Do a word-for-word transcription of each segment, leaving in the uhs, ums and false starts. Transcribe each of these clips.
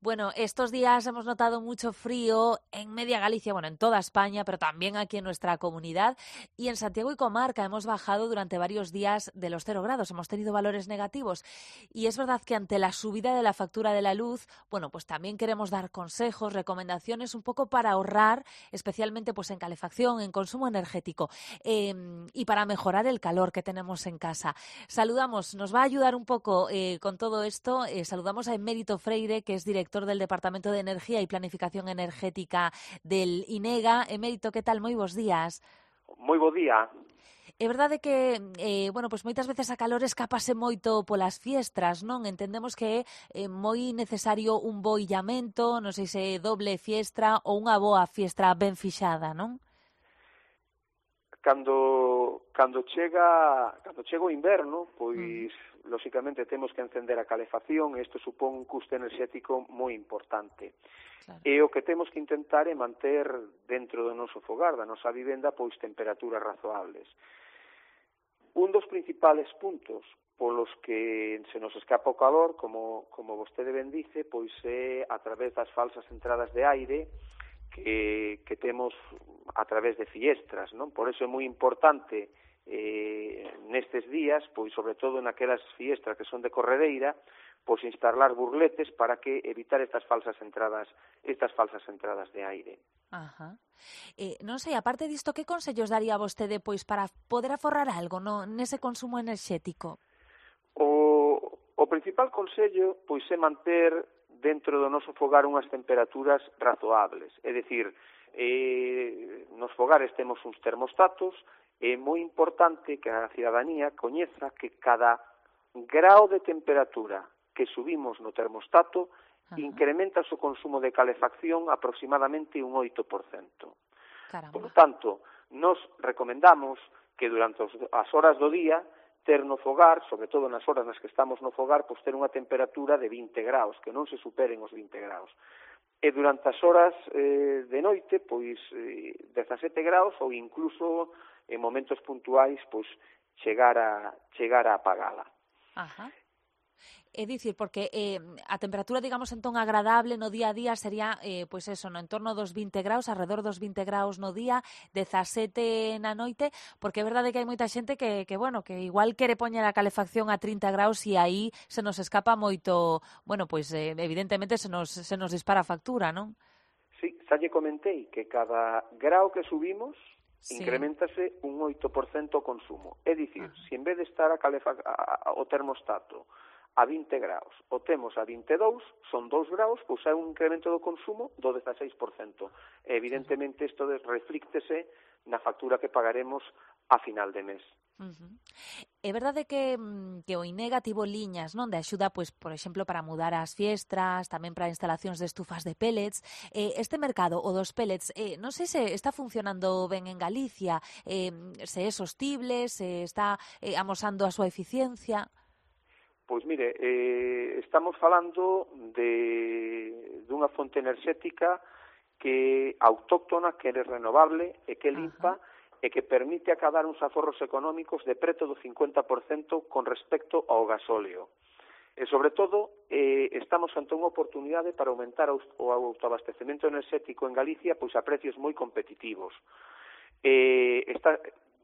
Bueno, estos días hemos notado mucho frío en media Galicia, bueno, en toda España, pero también aquí en nuestra comunidad. Y en Santiago y comarca hemos bajado durante varios días de los cero grados, hemos tenido valores negativos. Y es verdad que ante la subida de la factura de la luz, bueno, pues también queremos dar consejos, recomendaciones un poco para ahorrar, especialmente pues en calefacción, en consumo energético eh, y para mejorar el calor que tenemos en casa. Saludamos, nos va a ayudar un poco eh, con todo esto, eh, saludamos a Emérito Freire, que es director del Departamento de Energía y Planificación Energética del INEGA. Emérito, que tal? Moi bos días. Moi bo día. É verdade que, eh, bueno, pois moitas veces a calor escapase moito polas fiestras, non? Entendemos que é eh, moi necesario un bo illamento, non sei se doble fiestra ou unha boa fiestra ben fixada, non? Cando cando chega cando chega o inverno, pois Mm. lóxicamente temos que encender a calefacción e isto supón un custo enerxético moi importante. Claro. E o que temos que intentar é manter dentro do noso fogar, da nosa vivenda, pois temperaturas razoables. Un dos principales puntos polos que se nos escapa o calor, como, como vostede ben dice, pois é a través das falsas entradas de aire que, que temos a través de fiestras, non? Por eso é moi importante eh, nestes días, pois sobre todo naquelas fiestras que son de corredeira, pois instalar burletes para que evitar estas falsas entradas, estas falsas entradas de aire. Ajá. Eh, non sei, aparte disto, que consellos daría vostede pois para poder aforrar algo no, nese consumo enerxético? O, o principal consello pois é manter dentro do noso fogar unhas temperaturas razoables, é dicir, eh, nos fogares temos uns termostatos, é moi importante que a cidadanía coñeza que cada grao de temperatura que subimos no termostato Ajá. incrementa o seu consumo de calefacción aproximadamente un oito por cento. Caramba. Por lo tanto, nos recomendamos que durante as horas do día ter no fogar, sobre todo nas horas nas que estamos no fogar, pois ter unha temperatura de vinte graus, que non se superen os vinte graus. E durante as horas eh, de noite, pois eh, dezasete graus ou incluso en momentos puntuais, pois chegar a chegar a apagala. Ajá. É dicir, porque eh, a temperatura, digamos, entón agradable no día a día sería, eh, pois eso, no entorno dos vinte graus, alrededor dos vinte graus no día, dezasete na noite, porque é verdade que hai moita xente que, que bueno, que igual quere poñer a calefacción a trinta graus e aí se nos escapa moito, bueno, pois eh, evidentemente se nos, se nos dispara a factura, non? Sí, xa lle comentei que cada grau que subimos Sí. incrementase un oito por cento o consumo. É dicir, Ajá. se en vez de estar a calefa a, a, o termostato a vinte graus, o temos a vinte e dous, son dous graus, pois hai un incremento do consumo do dezaseis por cento. E evidentemente isto reflíctese na factura que pagaremos a final de mes. Uh-huh. É verdade que, que o INEGA tivo liñas, non, de axuda, pois, por exemplo, para mudar as fiestras, tamén para instalacións de estufas de pellets. Eh, este mercado, o dos pellets, eh, non sei se está funcionando ben en Galicia, eh, se é sostible, se está eh, amosando a súa eficiencia. Pois mire, eh, estamos falando de dunha fonte enerxética que autóctona, que é renovable e que limpa, Ajá. e que permite acadar uns aforros económicos de preto do cincuenta por cento con respecto ao gasóleo. E, sobre todo, eh, estamos ante unha oportunidade para aumentar o autoabastecemento enerxético en Galicia pois a precios moi competitivos. Eh, está,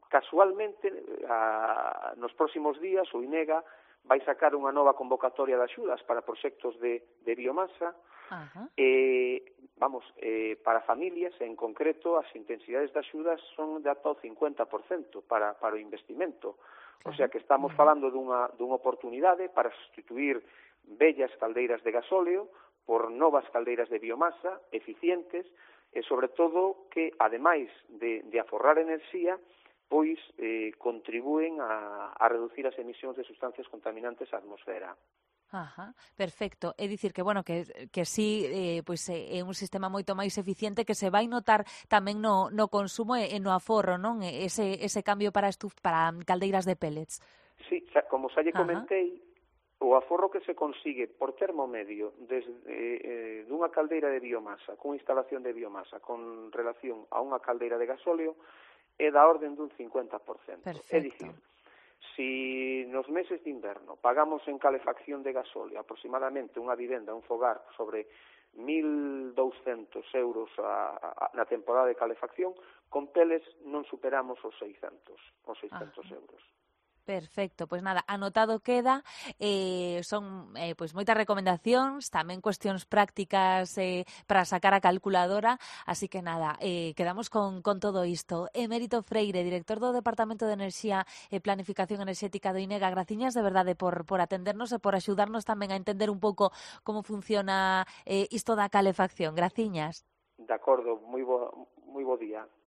casualmente, a, nos próximos días, o INEGA vai sacar unha nova convocatoria de axudas para proxectos de, de biomasa. Ajá. Eh, vamos, eh, para familias, en concreto, as intensidades de axudas son de ata o cincuenta por cento para, para o investimento. Claro. O sea que estamos uh-huh. falando dunha, dunha oportunidade para sustituir vellas caldeiras de gasóleo por novas caldeiras de biomasa eficientes e, sobre todo, que, ademais de, de aforrar enerxía, pois eh, contribúen a, a reducir as emisións de sustancias contaminantes á atmosfera. Ajá, perfecto. É dicir que, bueno, que, que sí, eh, pois é un sistema moito máis eficiente que se vai notar tamén no, no consumo e, e no aforro, non? Ese, ese cambio para estuf, para caldeiras de pellets. Sí, como xa lle comentei, Ajá. o aforro que se consigue por termo medio desde eh, dunha caldeira de biomasa, cunha instalación de biomasa con relación a unha caldeira de gasóleo, é da orden dun cincuenta por cento. Perfecto. É dicir, Si nos meses de inverno pagamos en calefacción de gasóleo aproximadamente unha vivenda, un fogar, sobre mil douscentos euros a, a, na temporada de calefacción, con teles non superamos os seiscentos, os seiscentos euros. Perfecto, pois nada, anotado queda, eh, son eh, pois moitas recomendacións, tamén cuestións prácticas eh, para sacar a calculadora, así que nada, eh, quedamos con, con todo isto. Emérito Freire, director do Departamento de Enerxía e Planificación Enerxética do INEGA, graciñas de verdade por, por atendernos e por axudarnos tamén a entender un pouco como funciona eh, isto da calefacción. Graciñas. De acordo, moi bo, moi bo día.